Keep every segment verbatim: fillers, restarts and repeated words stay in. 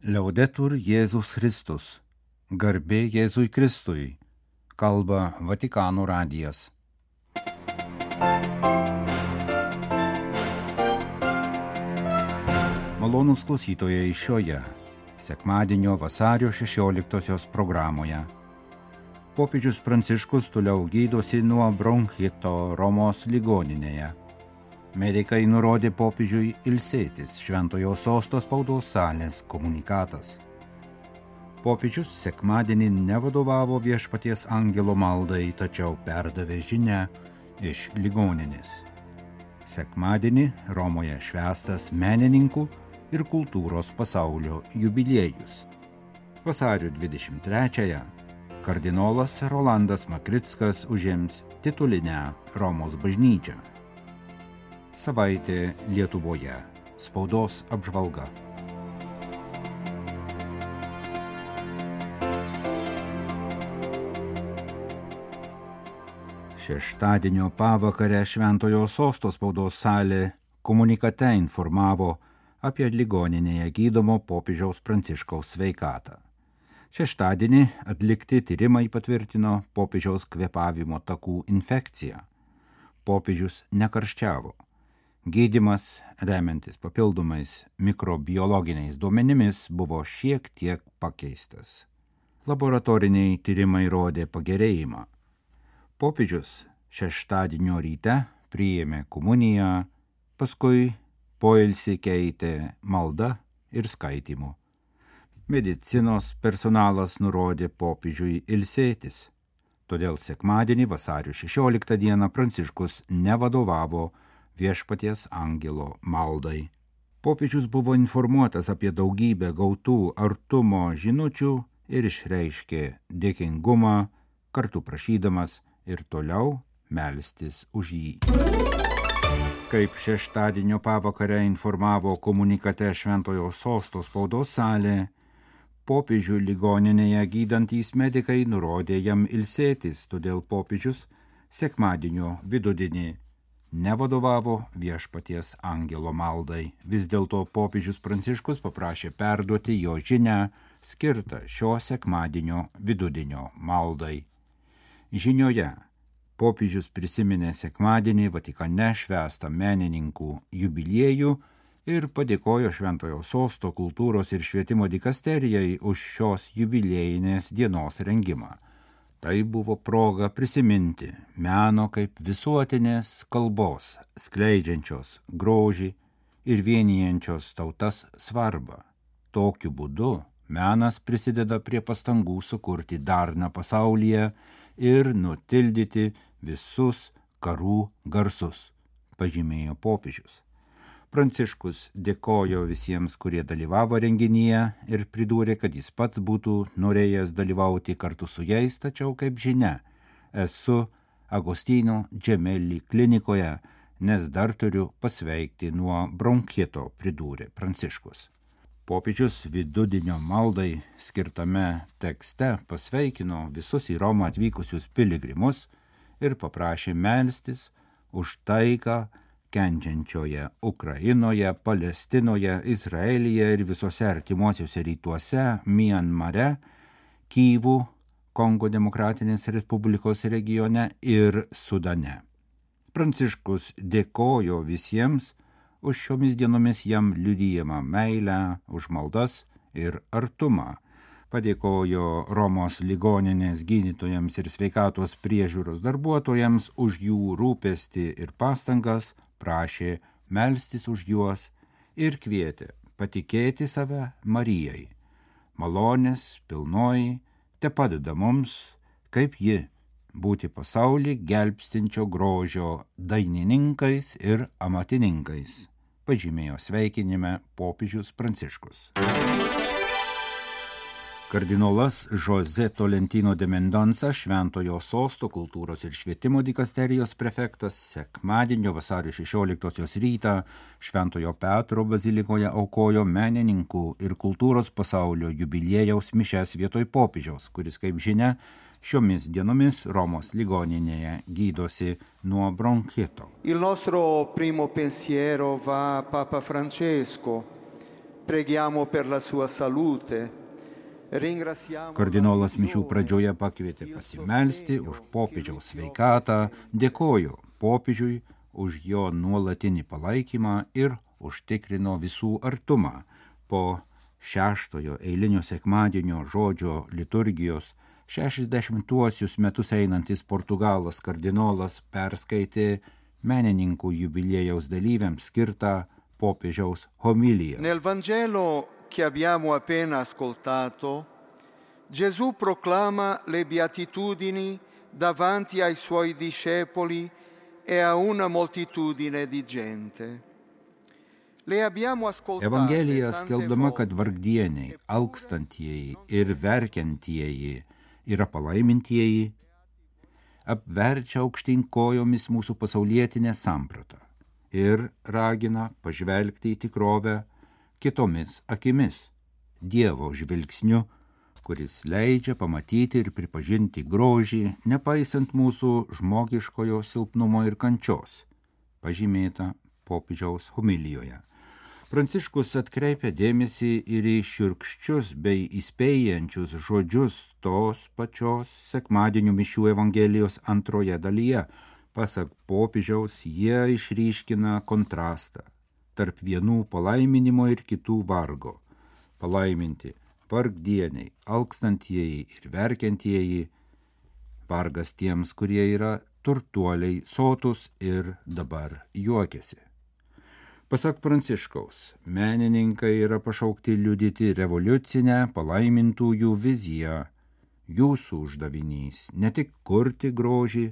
Liaudetur Jėzus Kristus. Garbė Jėzui Kristui. Kalba Vatikano radijas. Malonūs klausytojai šioje sekmadienio vasario šešioliktosios programoje. Popiežius Pranciškus toliau gydosi nuo bronchito Romos ligoninėje. Medikai nurodė popiežiui ilsėtis, Šventojo Sosto spaudos salės komunikatas. Popiežius sekmadienį nevadovavo Viešpaties angelo maldai, tačiau perdavė žinią iš ligoninės. Sekmadienį Romoje švęstas menininkų ir kultūros pasaulio jubiliejus. Vasario dvidešimt trečiąją kardinolas Rolandas Makrickas užims titulinę Romos bažnyčią. Savaitė Lietuvoje. Spaudos apžvalga. Šeštadienio pavakarę Šventojo Sosto spaudos salė komunikate informavo apie ligoninėje gydomo popiežiaus Pranciškaus sveikatą. Šeštadienį atlikti tyrimai patvirtino popiežiaus kvėpavimo takų infekciją. Popiežius nekarščiavo. Gydymas, remiantis papildomais mikrobiologiniais duomenimis, buvo šiek tiek pakeistas. Laboratoriniai tyrimai rodė pagerėjimą. Popiežius šeštadienio ryte priėmė komuniją, paskui poilsį keitė malda ir skaitymu. Medicinos personalas nurodė popiežiui ilsėtis. Todėl sekmadienį vasario šešioliktą dieną Pranciškus nevadovavo Viešpaties angelo maldai. Popiežius buvo informuotas apie daugybę gautų artumo žinučių ir išreiškė dėkingumą, kartu prašydamas ir toliau melstis už jį. Kaip šeštadienio pavakarę informavo komunikate Šventojo Sosto spaudos salė, popiežių ligoninėje gydantys medikai nurodė jam ilsėtis, todėl popiežius sekmadienio vidudienį nevadovavo Viešpaties angelo maldai. Vis dėlto popiežius Pranciškus paprašė perduoti jo žinią skirtą šio sekmadienio vidudienio maldai. Žinioje popiežius prisiminė sekmadienį Vatikane švęstą menininkų jubiliejų ir padėkojo Šventojo Sosto kultūros ir švietimo dikasterijai už šios jubiliejinės dienos rengimą. Tai buvo proga prisiminti meno kaip visuotinės kalbos, skleidžiančios grožį ir vienijančios tautas svarbą. Tokiu būdu menas prisideda prie pastangų sukurti darną pasaulyje ir nutildyti visus karų garsus, pažymėjo popiežius. Pranciškus dėkojo visiems, kurie dalyvavo renginyje ir pridūrė, kad jis pats būtų norėjęs dalyvauti kartu su jais, tačiau, kaip žinia, esu Agostino Gemelli klinikoje, nes dar turiu pasveikti nuo bronchito, pridūrė Pranciškus. Popiežius vidudienio maldai skirtame tekste pasveikino visus į Romą atvykusius piligrimus ir paprašė melstis už taiką kenčiančioje Ukrainoje, Palestinoje, Izraelyje ir visose artimuosiuose rytuose, Mianmare, Kyivų, Kongo Demokratinės Respublikos regione ir Sudane. Pranciškus dėkojo visiems už šiomis dienomis jam liudijamą meilę, už maldas ir artumą. Padėkojo Romos ligoninės gydytojams ir sveikatos priežiūros darbuotojams už jų rūpestį ir pastangas, prašė melstis už juos ir kvietė patikėti save Marijai. Malonės pilnoji te padeda mums, kaip ji, būti pasaulį gelbstinčio grožio dainininkais ir amatininkais, pažymėjo sveikinime popiežius Pranciškus. Kardinolas José Tolentino de Mendoza, Šventojo Sosto kultūros ir švietimo dikasterijos prefektas, sekmadienio vasario šešioliktosios rytą Šventojo Petro bazilikoje aukojo menininkų ir kultūros pasaulio jubiliejaus mišias vietoj popiežiaus, kuris, kaip žinia, šiomis dienomis Romos ligoninėje gydosi nuo bronchito. Il nostro primo pensiero va a Papa Francesco, Preghiamo per la sua salute. Kardinolas mišių pradžioje pakvietė pasimelsti už popiežiaus sveikatą, dėkojo popiežiui už jo nuolatinį palaikymą ir užtikrino visų artumą. Po šeštojo eilinio sekmadienio žodžio liturgijos šešiasdešimtuosius metus einantis Portugalas kardinolas perskaitė menininkų jubiliejaus dalyviams skirtą popiežiaus homiliją. Nel Vangelo che abbiamo appena ascoltato, Gesù proclama le beatitudini davanti ai suoi discepoli e a una moltitudine di gente. Evangelija skelbdama, kad vargdieniai, alkstantieji ir verkiantieji yra palaimintieji, apverčia aukštyn kojomis mūsų pasaulietinę sampratą ir ragina pažvelgti į tikrovę kitomis akimis, Dievo žvilgsniu, kuris leidžia pamatyti ir pripažinti grožį, nepaisant mūsų žmogiškojo silpnumo ir kančios, pažymėta popiežiaus homilijoje. Pranciškus atkreipia dėmesį ir į šiurkščius bei įspėjančius žodžius tos pačios sekmadienio mišių Evangelijos antroje dalyje. Pasak popiežiaus, jie išryškina kontrastą tarp vienų palaiminimo ir kitų vargo. Palaiminti vargdieniai, alkstantieji ir verkiantieji, vargas tiems, kurie yra turtuoliai, sotus ir dabar juokiasi. Pasak Pranciškaus, menininkai yra pašaukti liudyti revoliucinę palaimintųjų viziją. Jūsų uždavinys ne tik kurti grožį,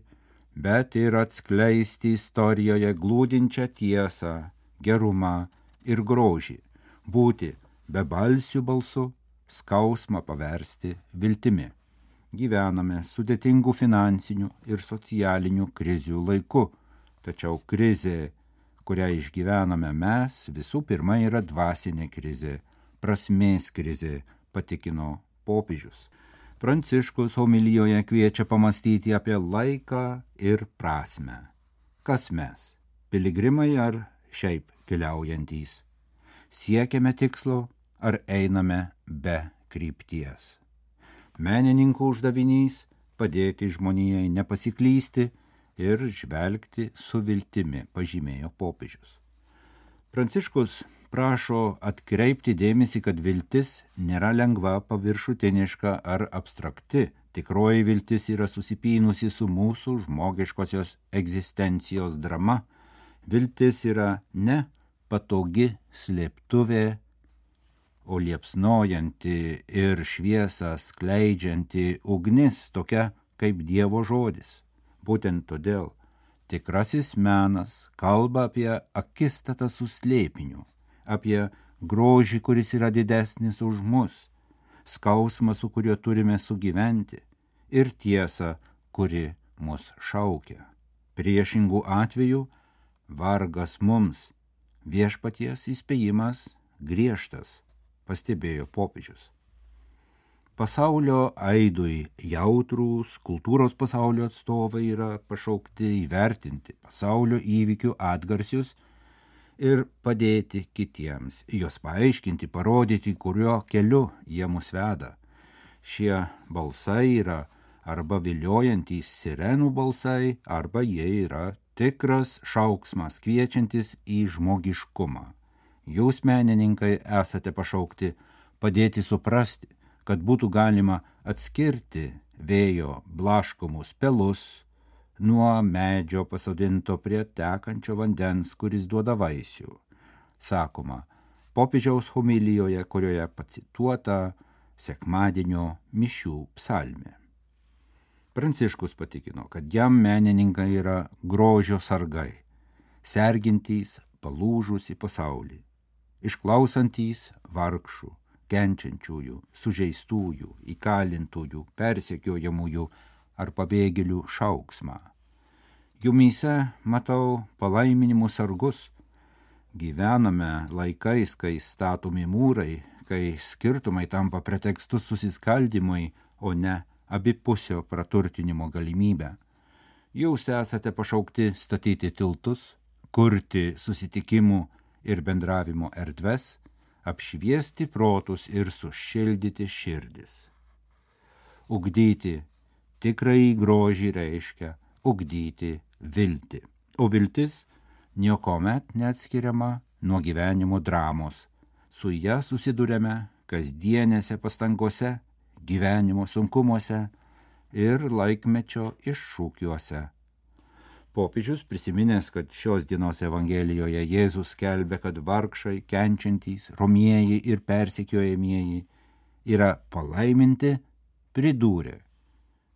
bet ir atskleisti istorijoje glūdinčią tiesą, gerumą ir grožį, būti bebalsių balsu, skausmą paversti viltimi. Gyvename sudėtingų finansinių ir socialinių krizių laiku, tačiau krizė, kurią išgyvename mes, visų pirma yra dvasinė krizė, prasmės krizė, patikino popiežius. Pranciškus homilijoje kviečia pamastyti apie laiką ir prasmę. Kas mes, piligrimai ar šiaip keliaujantys? Siekiame tikslo ar einame be krypties? Menininkų uždavinys padėti žmonijai nepasiklysti ir žvelgti su viltimi, pažymėjo popiežius. Pranciškus prašo atkreipti dėmesį, kad viltis nėra lengva, paviršutiniška ar abstrakti. Tikroji viltis yra susipynusi su mūsų žmogiškosios egzistencijos drama. Viltis yra ne patogi slėptuvė, o liepsnojanti ir šviesą skleidžianti ugnis, tokia kaip Dievo žodis. Būtent todėl tikrasis menas kalba apie akistatą su slėpiniu, apie grožį, kuris yra didesnis už mus, skausmą, su kuriuo turime sugyventi, ir tiesą, kuri mus šaukia. Priešingų atvejų vargas mums, viešpaties įspėjimas griežtas, pastebėjo popiežius. Pasaulio aidui jautrūs kultūros pasaulio atstovai yra pašaukti įvertinti pasaulio įvykių atgarsius ir padėti kitiems, juos paaiškinti, parodyti, kuriuo keliu jie mus veda. Šie balsai yra arba viliojantys sirenų balsai, arba jie yra tikras šauksmas kviečiantis į žmogiškumą. Jūs, menininkai, esate pašaukti padėti suprasti, kad būtų galima atskirti vėjo blaškomus pelus nuo medžio pasodinto prie tekančio vandens, kuris duoda vaisių. Sakoma, popiežiaus homilijoje, kurioje pacituota sekmadienio mišių psalmė. Pranciškus patikino, kad jam menininkai yra grožio sargai, sergintys palūžusį pasaulį, išklausantys vargšų, kenčiančiųjų, sužeistųjų, įkalintųjų, persekiojamųjų ar pabėgėlių šauksmą. Jumyse matau palaiminimų sargus. Gyvename laikais, kai statomi mūrai, kai skirtumai tampa pretekstu susiskaldymui, o ne abipusio praturtinimo galimybę. Jūs esate pašaukti statyti tiltus, kurti susitikimų ir bendravimo erdves, apšviesti protus ir sušildyti širdis. Ugdyti tikrąjį grožį reiškia ugdyti viltį, o viltis niekuomet neatskiriama nuo gyvenimo dramos. Su ja susidurėme kasdienėse pastangose, gyvenimo sunkumuose ir laikmečio iššūkiuose. Popiežius prisiminęs, kad šios dienos Evangelijoje Jėzus skelbia, kad vargšai, kenčiantys, romieji ir persekiojamieji yra palaiminti, pridūrė,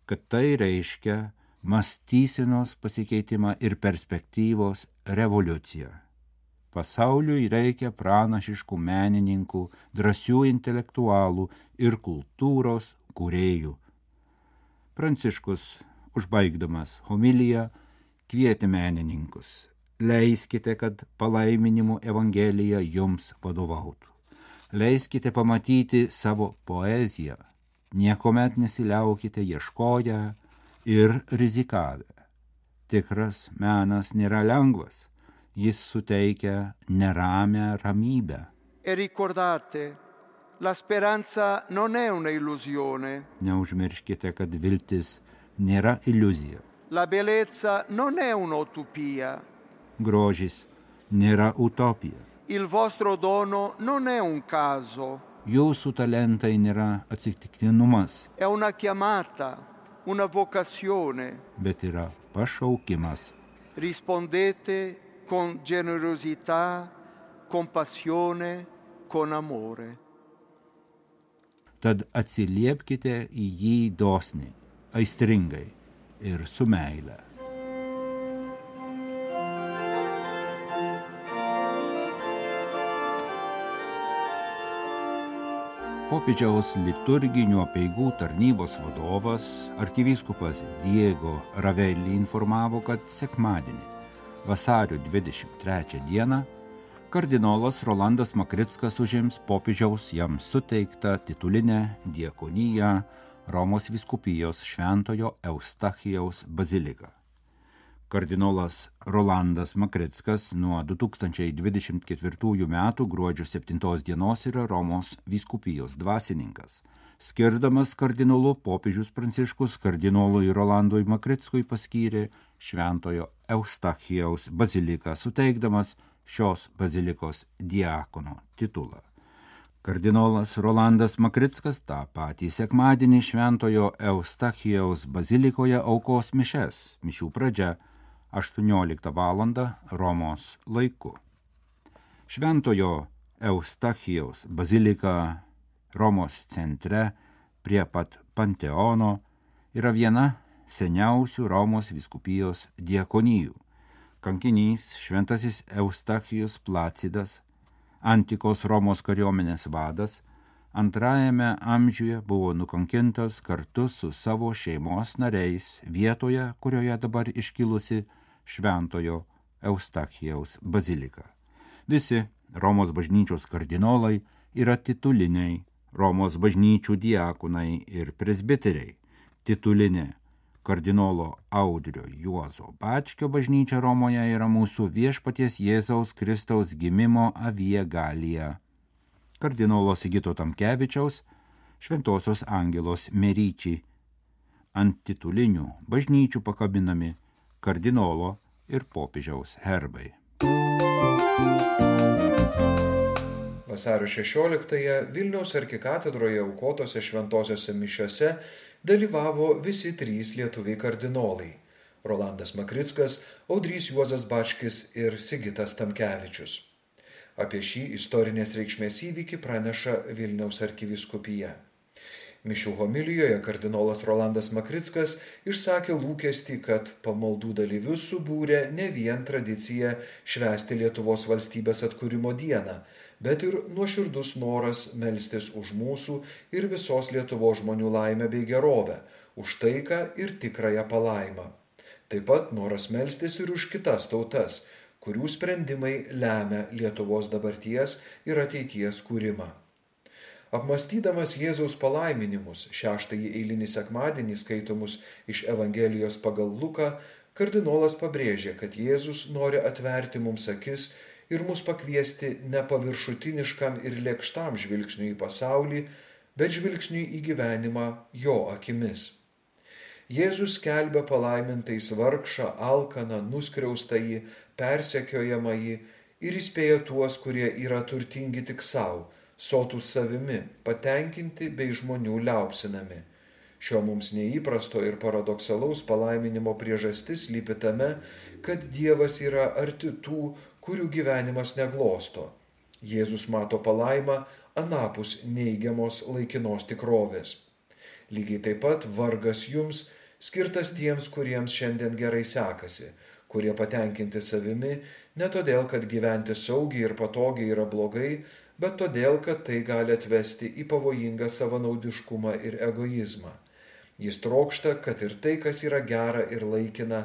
kad tai reiškia mąstysenos pasikeitimą ir perspektyvos revoliuciją. Pasauliui reikia pranašiškų menininkų, drąsių intelektualų ir kultūros kūrėjų. Pranciškus, užbaigdamas homiliją, kvietė menininkus. Leiskite, kad palaiminimų Evangelija jums vadovautų. Leiskite pamatyti savo poeziją. Niekuomet nesiliaukite ieškoję ir rizikavę. Tikras menas nėra lengvas. Jis suteikia neramią ramybę. E ricordate, la speranza non è una illusione. Neužmirškite, kad viltis nėra iliuzija. La bellezza non è un'utopia. Grožis nėra utopija. Il vostro dono non è un caso. Jūsų talentai nėra atsitiktinumas. È una chiamata, una vocazione. Bet yra pašaukimas. Rispondete con generosità, compassione, con amore. Tad atsiliepkite į jį dosniai, aistringai ir su meile. Popiežiaus liturginių apeigų tarnybos vadovas, arkivyskupas Diego Ravelli informavo, kad sekmadienį, vasario dvidešimt trečią dieną, kardinolas Rolandas Makrickas užims popiežiaus jam suteiktą titulinę diakoniją Romos vyskupijos Šventojo Eustachijaus baziliką. Kardinolas Rolandas Makrickas nuo du tūkstančiai dvidešimt ketvirtųjų metų gruodžio septintos dienos yra Romos vyskupijos dvasininkas. Skirdamas kardinolu, popiežius Pranciškus kardinolui Rolandui Makrickui paskyrė Šventojo Eustachijaus baziliką, suteikdamas šios bazilikos diakono titulą. Kardinolas Rolandas Makrickas tą patį sekmadienį Šventojo Eustachijaus bazilikoje aukos mišes, mišių pradžia aštuonioliktą valandą Romos laiku. Šventojo Eustachijaus bazilika Romos centre prie pat Panteono yra viena seniausių Romos vyskupijos diakonijų. Kankinys šventasis Eustachijus Placidas, antikos Romos kariuomenės vadas, antrajame amžiuje buvo nukankintas kartu su savo šeimos nariais vietoje, kurioje dabar iškilusi Šventojo Eustachijaus bazilika. Visi Romos bažnyčios kardinolai yra tituliniai Romos bažnyčių diakonai ir presbiteriai. Titulinė kardinolo Audrio Juozo Bačkio bažnyčia Romoje yra mūsų viešpaties Jėzaus Kristaus gimimo Avie Galija. Kardinolo Sigito Tamkevičiaus Šventosios Angelos Meryčiai. Ant titulinių bažnyčių pakabinami kardinolo ir popiežiaus herbai. Vasario šešioliktąją Vilniaus arkikatedroje aukotose šventosiose mišiose dalyvavo visi trys lietuviai kardinolai – Rolandas Makrickas, Audrys Juozas Bačkis ir Sigitas Tamkevičius. Apie šį istorinės reikšmės įvykį praneša Vilniaus arkivyskupija. Mišių homilijoje kardinolas Rolandas Makrickas išsakė lūkestį, kad pamaldų dalyvius subūrė ne vien tradicija švęsti Lietuvos valstybės atkūrimo dieną, bet ir nuoširdus noras melstis už mūsų ir visos Lietuvos žmonių laimę bei gerovę, už taiką ir tikrąją palaimą. Taip pat noras melstis ir už kitas tautas, kurių sprendimai lemia Lietuvos dabarties ir ateities kūrimą. Apmąstydamas Jėzaus palaiminimus, šeštąjį eilinį sekmadienį skaitomus iš Evangelijos pagal Luką, kardinolas pabrėžė, kad Jėzus nori atverti mums akis ir mus pakviesti ne paviršutiniškam ir lėkštam žvilgsniui į pasaulį, bet žvilgsniui į gyvenimą jo akimis. Jėzus skelbia palaimintais vargšą, alkaną, nuskriaustąjį, persekiojamąjį ir įspėja tuos, kurie yra turtingi tik savo, sotūs savimi, patenkinti bei žmonių liaupsinami. Šio mums neįprasto ir paradoksalaus palaiminimo priežastis slypi tame, kad Dievas yra arti tų, kurių gyvenimas neglosto. Jėzus mato palaimą anapus neigiamos laikinos tikrovės. Lygiai taip pat vargas jums skirtas tiems, kuriems šiandien gerai sekasi, kurie patenkinti savimi ne todėl, kad gyventi saugiai ir patogiai yra blogai, bet todėl, kad tai gali atvesti į pavojingą savanaudiškumą ir egoizmą. Jis trokšta, kad ir tai, kas yra gera ir laikina,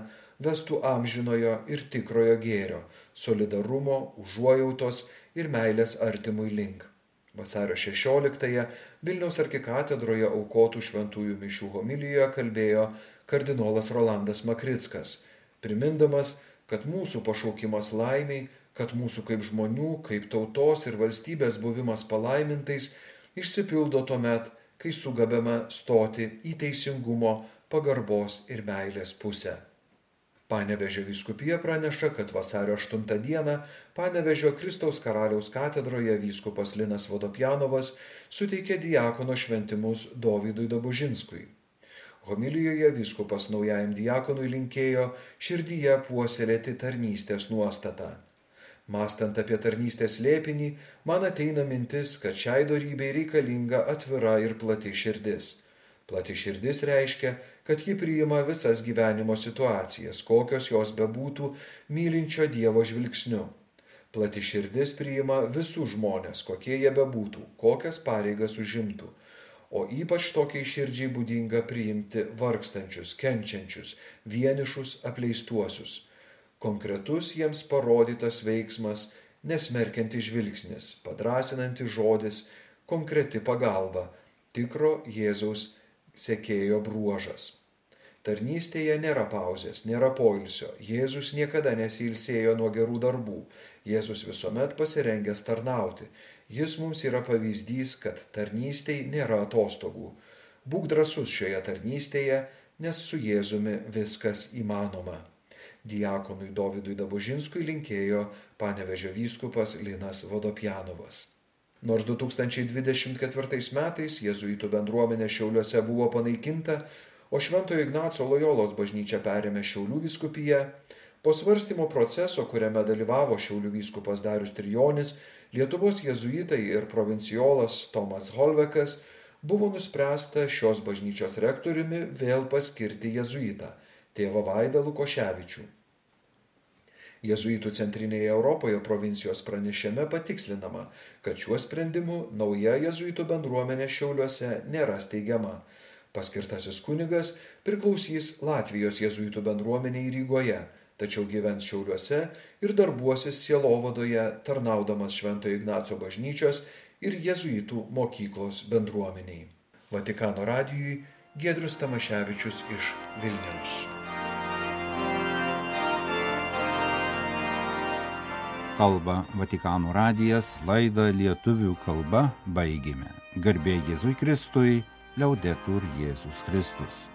vestų amžinojo ir tikrojo gėrio, solidarumo, užuojautos ir meilės artimui link. Vasario šešioliktąją Vilniaus arkikatedroje aukotų šventųjų mišių homilijoje kalbėjo kardinolas Rolandas Makrickas, primindamas, kad mūsų pašaukimas laimiai, kad mūsų kaip žmonių, kaip tautos ir valstybės buvimas palaimintais išsipildo tuomet, kai sugebame stoti į teisingumo, pagarbos ir meilės pusę. Panevėžio vyskupija praneša, kad vasario aštuntą dieną Panevėžio Kristaus Karaliaus katedroje vyskupas Linas Vodopjanovas suteikė diakono šventimus Dovydui Dabužinskui. Homilijoje vyskupas naujajam diakonui linkėjo širdyje puoselėti tarnystės nuostatą. Mąstant apie tarnystės slėpinį, man ateina mintis, kad šiai dorybei reikalinga atvira ir plati širdis. Plati širdis reiškia, kad ji priima visas gyvenimo situacijas, kokios jos bebūtų, mylinčio Dievo žvilgsniu. Plati širdis priima visus žmonės, kokie jie bebūtų, kokias pareigas užimtų. O ypač tokiai širdžiai būdinga priimti vargstančius, kenčiančius, vienišus, apleistuosius. Konkretus jiems parodytas veiksmas, nesmerkiantis žvilgsnis, padrąsinantis žodis, konkreti pagalba, tikro Jėzaus sekėjo bruožas. Tarnystėje nėra pauzės, nėra poilsio. Jėzus niekada nesiilsėjo nuo gerų darbų. Jėzus visuomet pasirengęs tarnauti. Jis mums yra pavyzdys, kad tarnystėj nėra atostogų. Būk drąsus šioje tarnystėje, nes su Jėzumi viskas įmanoma. Diakonui Dovydui Dabužinskui linkėjo Panevėžio vyskupas Linas Vodopjanovas. Nors du tūkstančiai dvidešimt ketvirtais metais jėzuitų bendruomenė Šiauliuose buvo panaikinta, o Šventojo Ignaco Lojolos bažnyčia perėmė Šiaulių vyskupiją, po svarstymo proceso, kuriame dalyvavo Šiaulių vyskupas Darius Trijonis, Lietuvos jėzuitai ir provincijolas Tomas Holvekas, buvo nuspręsta šios bažnyčios rektoriumi vėl paskirti jėzuitą, tėvą Vaidą Lukoševičių. Jėzuitų centrinėje Europoje provincijos pranešime patikslinama, kad šiuo sprendimu nauja jėzuitų bendruomenė Šiauliuose nėra steigiama. Paskirtasis kunigas priklausys Latvijos jėzuitų bendruomeniai Rygoje, tačiau gyvens Šiauliuose ir darbuosis sielovadoje, tarnaudamas Šventojo Ignaco bažnyčios ir jėzuitų mokyklos bendruomeniai. Vatikano radijui Giedrius Tamaševičius iš Vilniaus. Kalba Vatikano radijas, laidą lietuvių kalba baigėme. Garbė Jėzui Kristui, Liaudetur Jėzus Kristus.